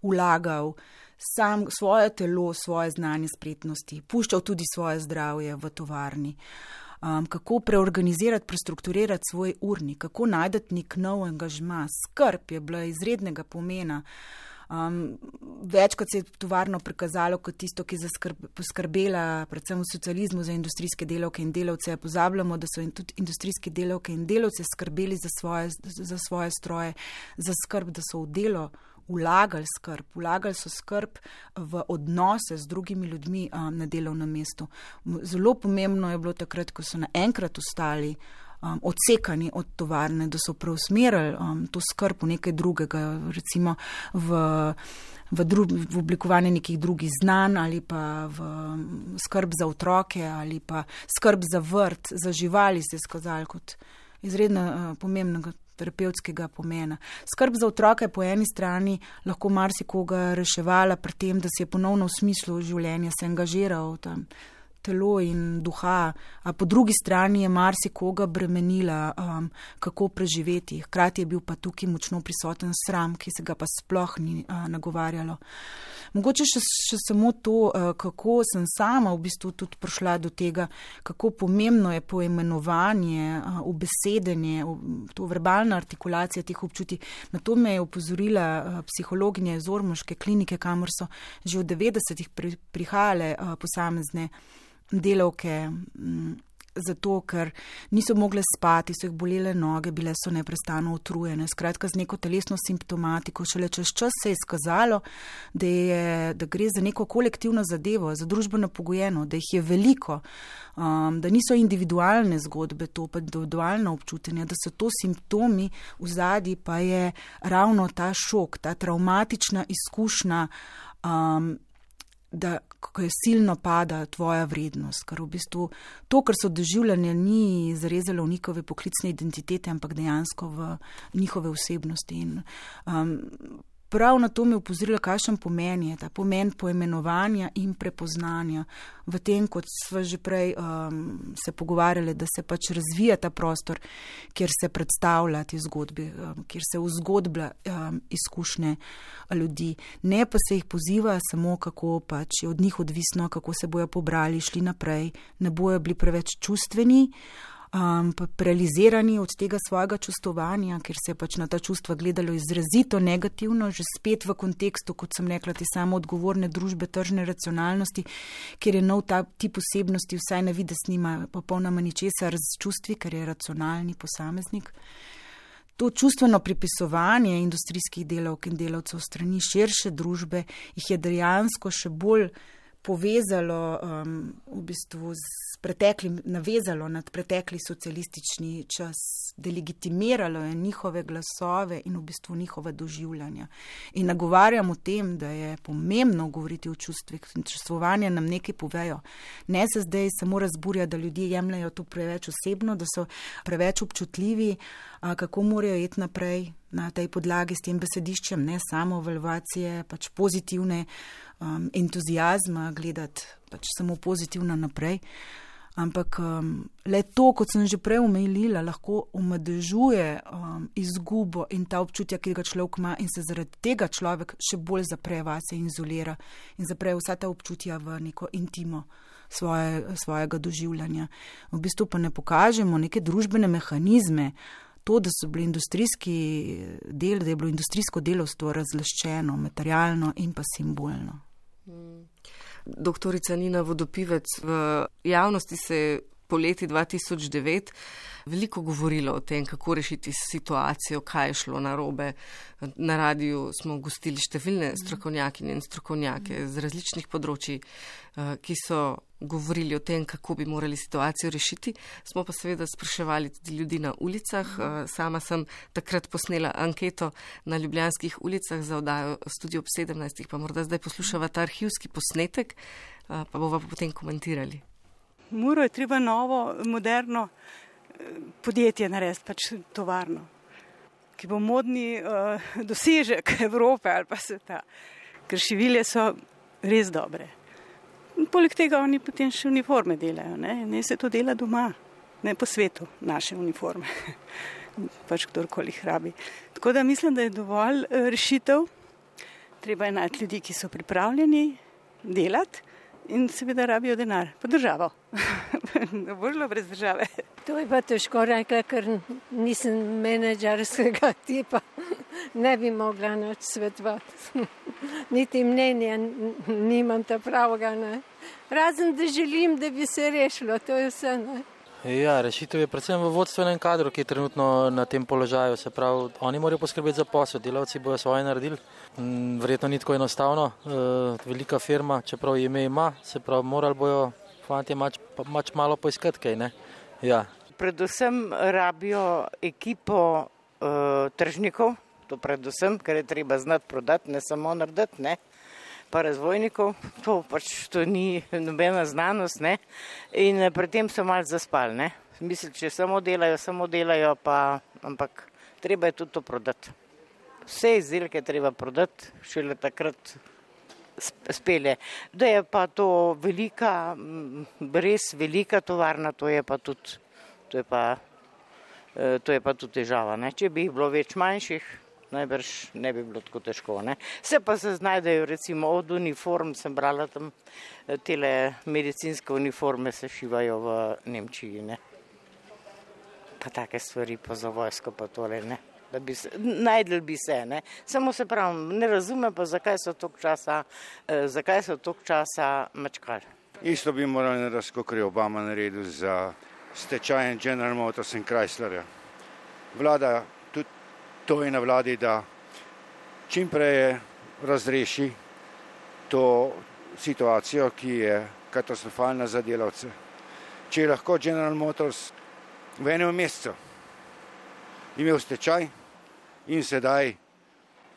vlagal sam svoje telo, svoje znanje, spretnosti, puščal tudi svoje zdravje v tovarni. Kako preorganizirati, prestrukturirati svoj urnik, kako najdeti nek nov angažma. Skrb je bila izrednega pomena. Večkrat se je tovarno prikazalo kot tisto, ki je poskrbela predvsem v socializmu za industrijske delavke in delavce. Pozabljamo, da so tudi industrijske delavke in delavce skrbeli za svoje stroje, za skrb, da so v delo vlagali so skrb v odnose z drugimi ljudmi na delovnem mestu. Zelo pomembno je bilo takrat, ko so naenkrat ostali odsekani od tovarne, da so preusmerili to skrb v nekaj drugega, recimo v oblikovanje nekih drugih znanj ali pa v skrb za otroke ali pa skrb za vrt, za živali se je skazali kot izredno pomembnega terapevtskega pomena. Skrb za otroka je po eni strani lahko marsikoga reševala pri tem, da se je ponovno v smislu življenja se angažiral tam telo in duha, a po drugi strani je marsikoga bremenila, kako preživeti. Hkrati je bil pa tukaj močno prisoten sram, ki se ga pa sploh ni nagovarjalo. Mogoče še samo to, kako sem sama v bistvu tudi prišla do tega, kako pomembno je poimenovanje, ubesedenje, to verbalna artikulacija teh občutij. Na to me je opozorila psihologinja iz ormoške klinike, kamor so že v 90-ih prihajale posamezne delavke, zato ker niso mogle spati, so jih bolele noge, bile so neprestano utrujene. Skratka, z neko telesno simptomatiko. Šele čez čas se je izkazalo, da gre za neko kolektivno zadevo, za družbeno pogojeno, da jih je veliko, da niso individualne zgodbe, to pa individualno občutenje, da so to simptomi, vzadji pa je ravno ta šok, ta travmatična izkušnja, da ko je silno pada tvoja vrednost, ker v bistvu to, kar so doživljanja, ni zarezalo v njihove poklicne identitete, ampak dejansko v njihove osebnosti. In prav na to me upozorila, kakšen pomen je ta pomen poimenovanja in prepoznanja v tem, kot sva že prej se pogovarjali, da se pač razvija ta prostor, kjer se predstavlja te zgodbe, kjer se vzgodblja izkušnje ljudi. Ne pa se jih poziva samo, kako pač je od njih odvisno, kako se bojo pobrali, šli naprej, ne bojo bili preveč čustveni, paralizirani od tega svojega čustovanja, ker se je pač na ta čustva gledalo izrazito negativno, že spet v kontekstu, kot sem rekla, te samo odgovorne družbe tržne racionalnosti, kjer je nov ta tip osebnosti, vsaj na vides nima popolnoma ničesar z čustvi, ker je racionalni posameznik. To čustveno pripisovanje industrijskih delavk in delavcev strani širše družbe jih je dejansko še bolj povezalo v bistvu s preteklim, navezalo nad pretekli socialistični čas, delegitimiralo je njihove glasove in v bistvu njihova doživljanja. In nagovarjam o tem, da je pomembno govoriti o čustvih, čustvovanje nam nekaj povejo. Ne se zdaj samo razburja, da ljudje jemljajo to preveč osebno, da so preveč občutljivi, kako morajo iti naprej na tej podlagi s tem besediščem, ne samo evalvacije, pač pozitivne entuzijazma, gledati pač samo pozitivno naprej. Ampak le to, kot sem že prej omenila, lahko omadežuje izgubo in ta občutja, ki ga človek ima, in se zaradi tega človek še bolj zapre vase in izolira in zapre vsa ta občutja v neko intimo svojega doživljanja. V bistvu pa ne pokažemo neke družbene mehanizme, to, da so bili da je bilo industrijsko delavstvo razlaščeno, materialno in pa simbolno. Doktorica Nina Vodopivec, v javnosti se je po leti 2009 veliko govorilo o tem, kako rešiti situacijo, kaj je šlo narobe. Na radiju smo gostili številne strokovnjakinje in strokovnjake z različnih področji, ki so govorili o tem, kako bi morali situacijo rešiti. Smo pa seveda spraševali tudi ljudi na ulicah. Sama sem takrat posnela anketo na ljubljanskih ulicah za oddajo Studio ob 17, pa morda zdaj poslušava ta arhivski posnetek, pa bova potem komentirali. Muro je treba novo, moderno podjetje narediti, pač tovarno, ki bo modni dosežek Evrope ali pa sveta. Ker šivilje so res dobre. Poleg tega oni potem še uniforme delajo, ne se to dela doma, ne po svetu, naše uniforme, pač kdorkoli jih rabi. Tako da mislim, da je dovolj rešitev, treba je najti ljudi, ki so pripravljeni delati in seveda rabijo denar, pa državo. Ne bo šlo brez države. To je pa težko rekla, ker nisem menedžerskega tipa, ne bi mogla nič svetovati. Niti mnenja nimam ta pravega, ne. Razen, da želim, da bi se rešilo, to je vse, ne. Ja, rešitev je predvsem v vodstvenem kadru, ki je trenutno na tem položaju. Se pravi, oni morajo poskrbeti za posel, delavci bojo svoje naredili. Verjetno ni tako enostavno, velika firma, čeprav ime ima, se pravi, morali bojo fantje mač malo poiskati kaj, ne. Ja. Predvsem rabijo ekipo tržnikov, to predvsem, ker je treba znati prodati, ne samo narediti, ne. Pa razvojnikov, to ni nobena znanost, ne, in pri tem so malo zaspali, ne. Mislim, če samo delajo, ampak treba je tudi to prodati. Vse izdelke treba prodati, šele takrat spelje. Da je pa to res velika tovarna, to je pa tudi težava. Ne? Če bi jih bilo več manjših, najbrž ne bi bilo tako težko. Ne? Se pa se znajdejo recimo od uniform, sem brala tam, tele medicinske uniforme se šivajo v Nemčiji. Ne? Pa take stvari pa za vojsko pa tole, ne. Da bi se, najdel bi se, ne. Samo se pravim, ne razumem pa, zakaj so toliko časa mačkali. Isto bi morali narediti, kot je Obama naredil za stečaj General Motors in Chryslerja. Vlada, tudi to je na vladi, da čim prej razreši to situacijo, ki je katastrofalna za delavce. Če je lahko General Motors v enem mesecu imel stečaj in sedaj,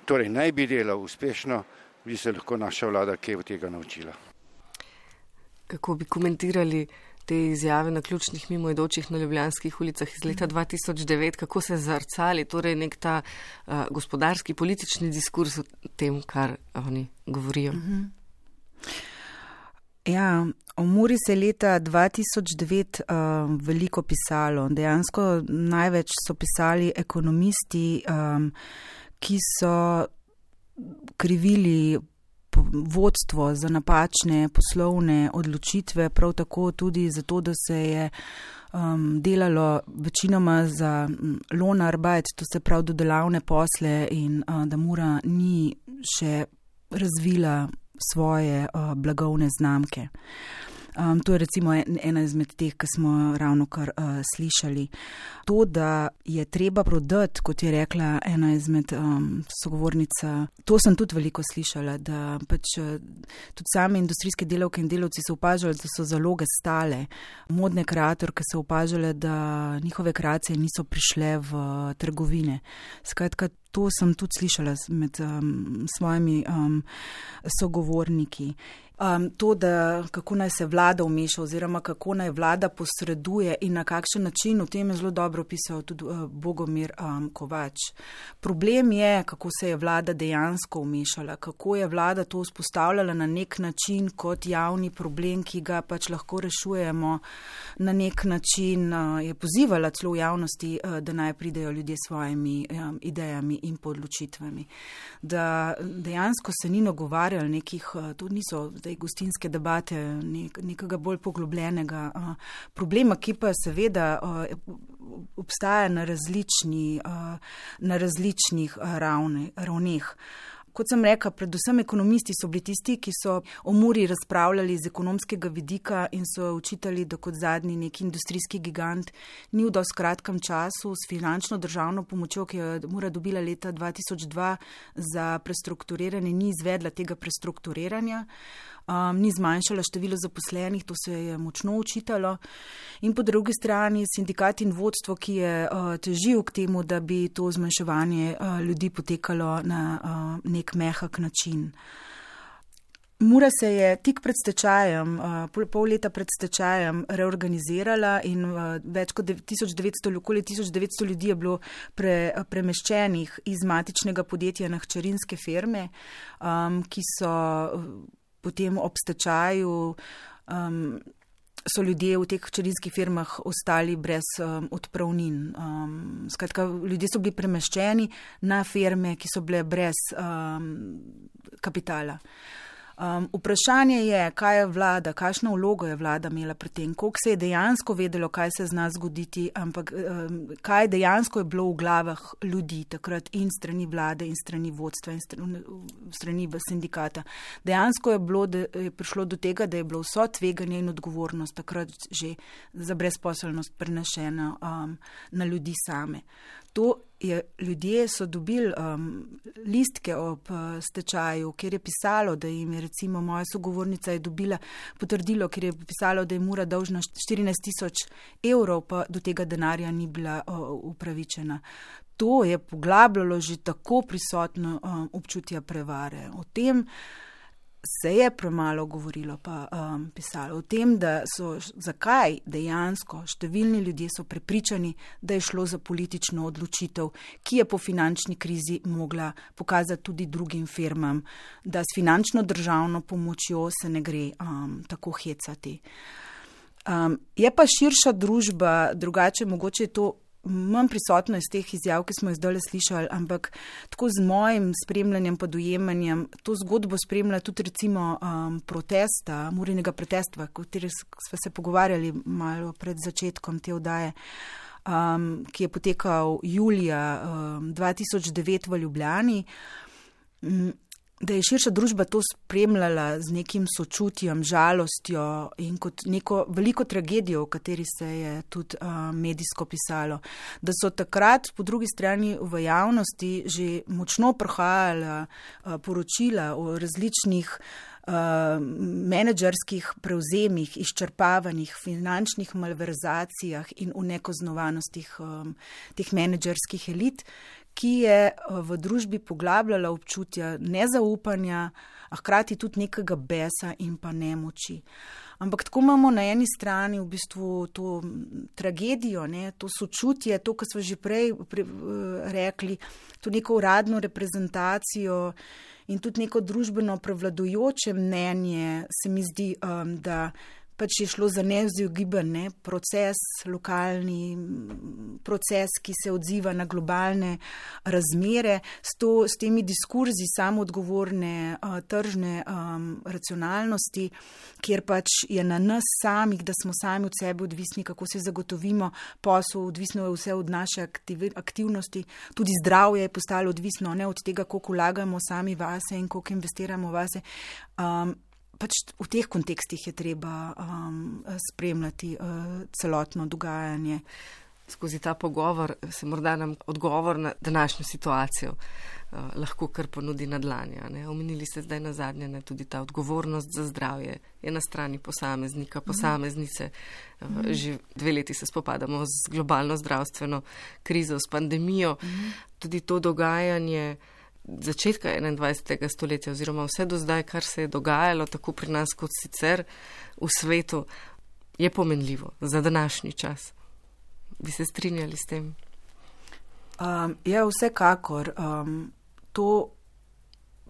torej naj bi delal uspešno, bi se lahko naša vlada kaj od tega naučila. Kako bi komentirali te izjave na ključnih mimoidočih na ljubljanskih ulicah iz leta 2009, kako se zrcali, torej nek ta gospodarski, politični diskurs o tem, kar oni govorijo? Ja, o Muri se je leta 2009 veliko pisalo. Dejansko največ so pisali ekonomisti, ki so krivili vodstvo za napačne poslovne odločitve, prav tako tudi zato, da se je delalo večinoma za Lohnarbeit, to se pravi dodelavne posle in da Mura ni še razvila svoje blagovne znamke. To je recimo ena izmed teh, ki smo ravno kar slišali. To, da je treba prodati, kot je rekla ena izmed sogovornica, to sem tudi veliko slišala, da pač tudi same industrijske delavke in delavci so opažali, da so zaloge stale. Modne kreatorke so opažale, da njihove kreacije niso prišle v trgovine. Skratka, to sem tudi slišala med svojimi sogovorniki. To, da kako naj se vlada vmeša oziroma kako naj vlada posreduje in na kakšen način, o tem je zelo dobro pisal tudi Bogomir Kovač. Problem je, kako se je vlada dejansko vmešala, kako je vlada to vzpostavljala na nek način kot javni problem, ki ga pač lahko rešujemo na nek način, je pozivala celo v javnosti, da naj pridejo ljudje s svojimi idejami in podločitvami. Da dejansko se ni nagovarjali nekih, to niso gostinske debate, nekega bolj poglobljenega problema, ki pa seveda obstaja na različnih ravneh. Kot sem rekla, predvsem ekonomisti so bili tisti, ki so o Muri razpravljali z ekonomskega vidika in so učitali, da kot zadnji neki industrijski gigant ni v dosti kratkem času s finančno državno pomočjo, ki jo je Mura dobila leta 2002 za prestrukturiranje, ni izvedla tega prestrukturiranja. Ni zmanjšala število zaposlenih, to se je močno učitalo. In po drugi strani sindikat in vodstvo, ki je težil k temu, da bi to zmanjševanje ljudi potekalo na nek mehak način. Mura se je tik pred stečajem, pol leta pred stečajem reorganizirala in več kot 1900 ljudi je bilo premeščenih iz matičnega podjetja na hčerinske firme, ki so potem ob stečaju so ljudje v teh hčerinskih firmah ostali brez odpravnin. Skratka, ljudje so bili premeščeni na firme, ki so bile brez kapitala. Vprašanje je, kaj je vlada, kakšno vlogo je vlada imela pri tem, koliko se je dejansko vedelo, kaj se zna zgoditi, ampak kaj dejansko je bilo v glavah ljudi takrat in strani vlade in strani vodstva in strani sindikata. Dejansko je prišlo do tega, da je bilo vso tveganje in odgovornost takrat že za brezposelnost prenešena na ljudi same. Ljudje so dobili listke ob stečaju, kjer je pisalo, da jim je recimo moja sogovornica je dobila potrdilo, kjer je pisalo, da je Mura dolžna 14.000 evrov, pa do tega denarja ni bila upravičena. To je poglabljalo že tako prisotno občutje prevare. O tem se je premalo govorilo pa pisalo o tem, da so zakaj dejansko številni ljudje so prepričani, da je šlo za politično odločitev, ki je po finančni krizi mogla pokazati tudi drugim firmam, da s finančno državno pomočjo se ne gre tako hecati. Je pa širša družba, drugače mogoče je to manj prisotno iz teh izjav, ki smo jih zdaj slišali, ampak tako z mojim spremljanjem pa dojemanjem, to zgodbo spremlja tudi recimo protesta, Murinega protesta, o kateri smo se pogovarjali malo pred začetkom te oddaje, ki je potekal julija 2009 v Ljubljani, da je širša družba to spremljala z nekim sočutjem, žalostjo in kot neko veliko tragedijo, o kateri se je tudi medijsko pisalo. Da so takrat po drugi strani v javnosti že močno prihajala poročila o različnih menedžerskih prevzemih, izčrpavanjih, finančnih malverzacijah in nekaznovanostih teh menedžerskih elit, ki je v družbi poglabljala občutja nezaupanja, a hkrati tudi nekega besa in pa nemoči. Ampak tako imamo na eni strani v bistvu to tragedijo, to sočutje, to, kar smo že prej rekli, to neko uradno reprezentacijo in tudi neko družbeno prevladujoče mnenje, se mi zdi, da pač je šlo za neizogiben proces, lokalni proces, ki se odziva na globalne razmere, s temi diskurzi samoodgovorne tržne racionalnosti, kjer pač je na nas samih, da smo sami od sebe odvisni, kako se zagotovimo posel, odvisno je vse od naše aktivnosti, tudi zdravje je postalo odvisno od tega, koliko vlagamo sami vase in koliko investiramo vase. Pač v teh kontekstih je treba spremljati celotno dogajanje. Skozi ta pogovor se morda nam odgovor na današnjo situacijo lahko kar ponudi na dlanje. Omenili ste zdaj na zadnje, tudi ta odgovornost za zdravje je na strani posameznika, posameznice. Že 2 leti se spopadamo z globalno zdravstveno krizo, s pandemijo. Tudi to dogajanje začetka 21. stoletja oziroma vse do zdaj, kar se je dogajalo tako pri nas kot sicer v svetu, je pomenljivo za današnji čas. Bi se strinjali s tem? Ja, vsekakor. To,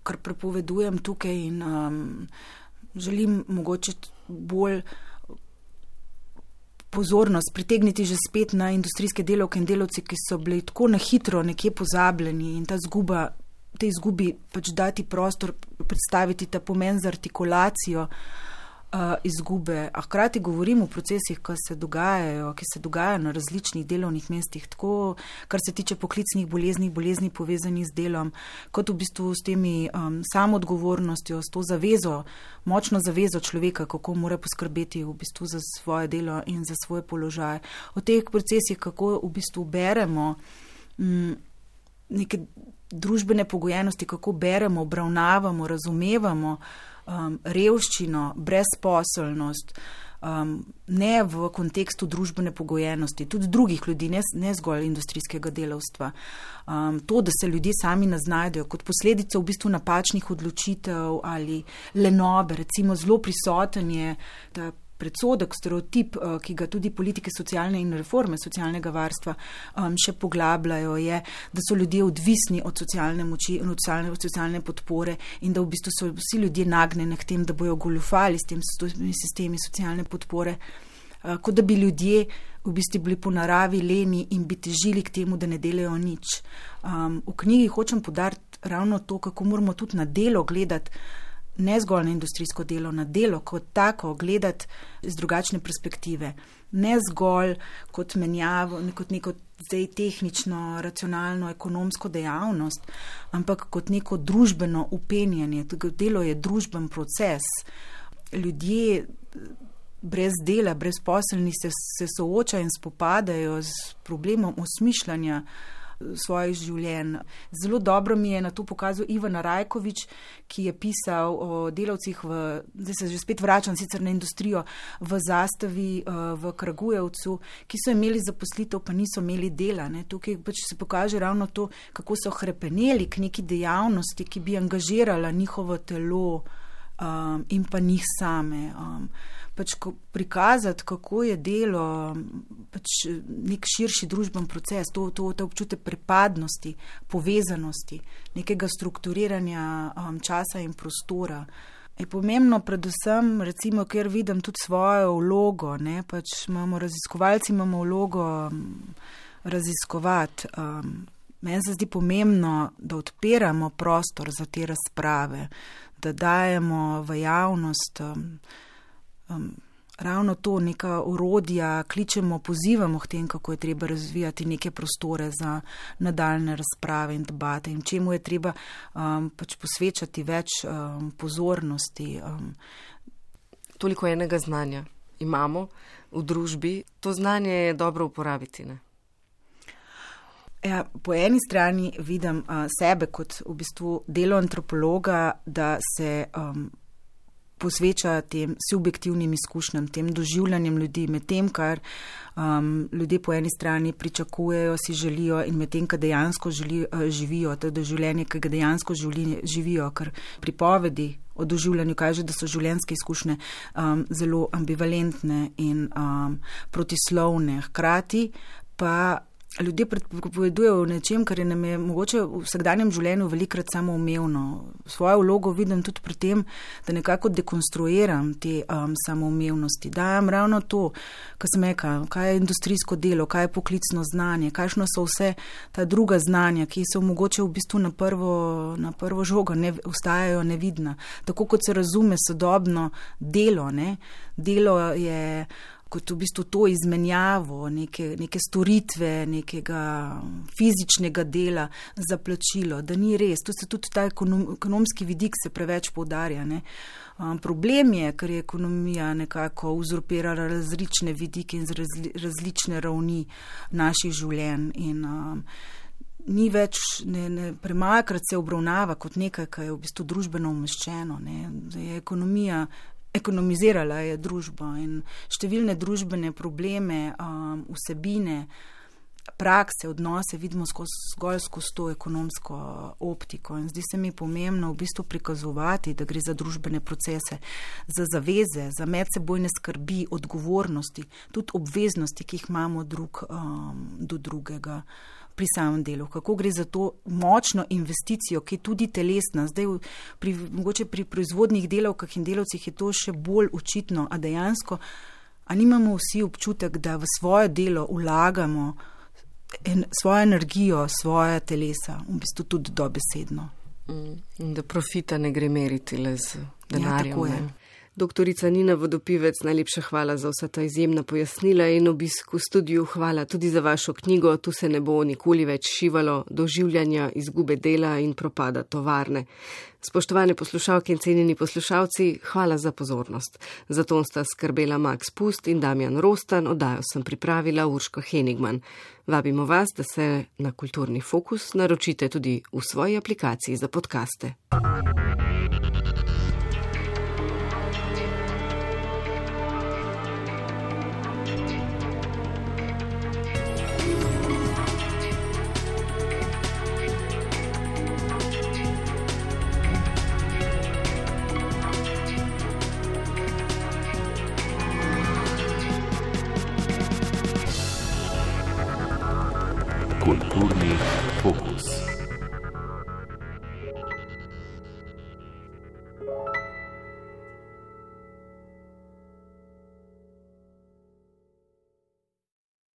kar prepovedujem tukaj in želim mogoče bolj pozornost pritegniti že spet na industrijske delavke in delavci, ki so bili tako na hitro nekje pozabljeni in tej izgubi pač dati prostor, predstaviti ta pomen za artikulacijo izgube. A hkrati govorim o procesih, ki se dogajajo na različnih delovnih mestih, tako kar se tiče poklicnih bolezni povezanih z delom, kot v bistvu s temi samoodgovornostjo, s to zavezo, močno zavezo človeka, kako mora poskrbeti v bistvu za svoje delo in za svoj položaj. O teh procesih, kako v bistvu beremo neke družbene pogojenosti, kako beremo, obravnavamo, razumevamo revščino, brezposelnost, ne v kontekstu družbene pogojenosti, tudi drugih ljudi, ne zgolj industrijskega delavstva. To, da se ljudje sami naznajdejo kot posledica v bistvu napačnih odločitev ali lenobe, recimo zelo prisoten je ta predsodek, stereotip, ki ga tudi politike socialne in reforme socialnega varstva še poglabljajo, je, da so ljudje odvisni od socialne moči in od socialne podpore in da v bistvu so vsi ljudje nagnjeni k tem, da bojo goljufali s temi sistemi socialne podpore, kot da bi ljudje v bistvu bili po naravi leni in bi težili k temu, da ne delajo nič. V knjigi hočem poudariti ravno to, kako moramo tudi na delo gledati, ne zgolj na industrijsko delo, na delo kot tako gledati z drugačne perspektive. Ne zgolj kot menjavo, kot neko zdaj tehnično, racionalno, ekonomsko dejavnost, ampak kot neko družbeno upenjanje. Delo je družben proces. Ljudje brez dela, brezposelni se soočajo in spopadajo z problemom osmišljanja svojih življenj. Zelo dobro mi je na to pokazal Ivan Rajkovič, ki je pisal o delavcih zdaj se že spet vračam sicer na industrijo, v Zastavi, v Kragujevcu, ki so imeli zaposlitev, pa niso imeli dela. Tukaj pač se pokaže ravno to, kako so hrepeneli k neki dejavnosti, ki bi angažirala njihovo telo, in pa njih same. Pač prikazati, kako je delo pač nek širši družben proces, to občutek pripadnosti, povezanosti, nekega strukturiranja časa in prostora. Je pomembno predvsem, recimo, ker vidim tudi svojo vlogo, ne, pač raziskovalci imamo vlogo raziskovati. Meni se zdi pomembno, da odpiramo prostor za te razprave, da dajemo v javnost ravno to, neka orodja, kličemo, pozivamo k tem, kako je treba razvijati neke prostore za nadaljne razprave in debate in čemu je treba pač posvečati več pozornosti. Toliko enega znanja imamo v družbi, to znanje je dobro uporabiti, ne? Ja, po eni strani vidim sebe kot v bistvu delo antropologa, da se posveča tem subjektivnim izkušnjam, tem doživljanjem ljudi, med tem, kar ljudje po eni strani pričakujejo, si želijo in med tem, kar dejansko živijo, to je doživljanje, ki ga dejansko živijo, ker pripovedi o doživljanju kaže, da so življenjske izkušnje zelo ambivalentne in protislovne. Hkrati pa ljudje pripovedujejo o nečem, kar je nam je mogoče v vsakdanjem življenju velikrat samoumevno. Svojo vlogo vidim tudi pri tem, da nekako dekonstruiram te samoumevnosti. Dajam ravno to, kar sem rekla, kaj je industrijsko delo, kaj je poklicno znanje, kakšno so vse ta druga znanja, ki so mogoče v bistvu na prvo žogo ostajajo nevidna. Tako kot se razume sodobno delo, ne? Delo je kot v bistvu to izmenjavo, neke storitve, nekega fizičnega dela za plačilo, da ni res. To se tudi ta ekonomski vidik se preveč poudarja, ne. Problem je, ker je ekonomija nekako uzurpirala različne vidike in različne ravni naših življenj in ni več, premalokrat se obravnava kot nekaj, kar je v bistvu družbeno umeščeno, ne. Je ekonomizirala je družbo in številne družbene probleme, vsebine, prakse, odnose vidimo zgolj skozi to ekonomsko optiko. In zdi se mi pomembno v bistvu prikazovati, da gre za družbene procese, za zaveze, za medsebojne skrbi, odgovornosti, tudi obveznosti, ki jih imamo drug do drugega pri samem delu. Kako gre za to močno investicijo, ki je tudi telesna. Zdaj, mogoče pri proizvodnih delavkah in delavcih je to še bolj očitno, a dejansko, a nimamo vsi občutek, da v svoje delo vlagamo svojo energijo, svoje telesa, v bistvu tudi dobesedno. Da profita ne gre meriti le z denarjem. Ja, tako je. Doktorica Nina Vodopivec, najlepša hvala za vsa ta izjemna pojasnila in obisk v studiu. Hvala tudi za vašo knjigo Tu se ne bo nikoli več šivalo, doživljanja, izgube dela in propada tovarne. Spoštovane poslušalke in cenjeni poslušalci, hvala za pozornost. Za ton sta skrbela Max Pust in Damjan Rostan, oddajo sem pripravila Urška Henigman. Vabimo vas, da se na Kulturni fokus naročite tudi v svoji aplikaciji za podcaste. Kulturni fokus.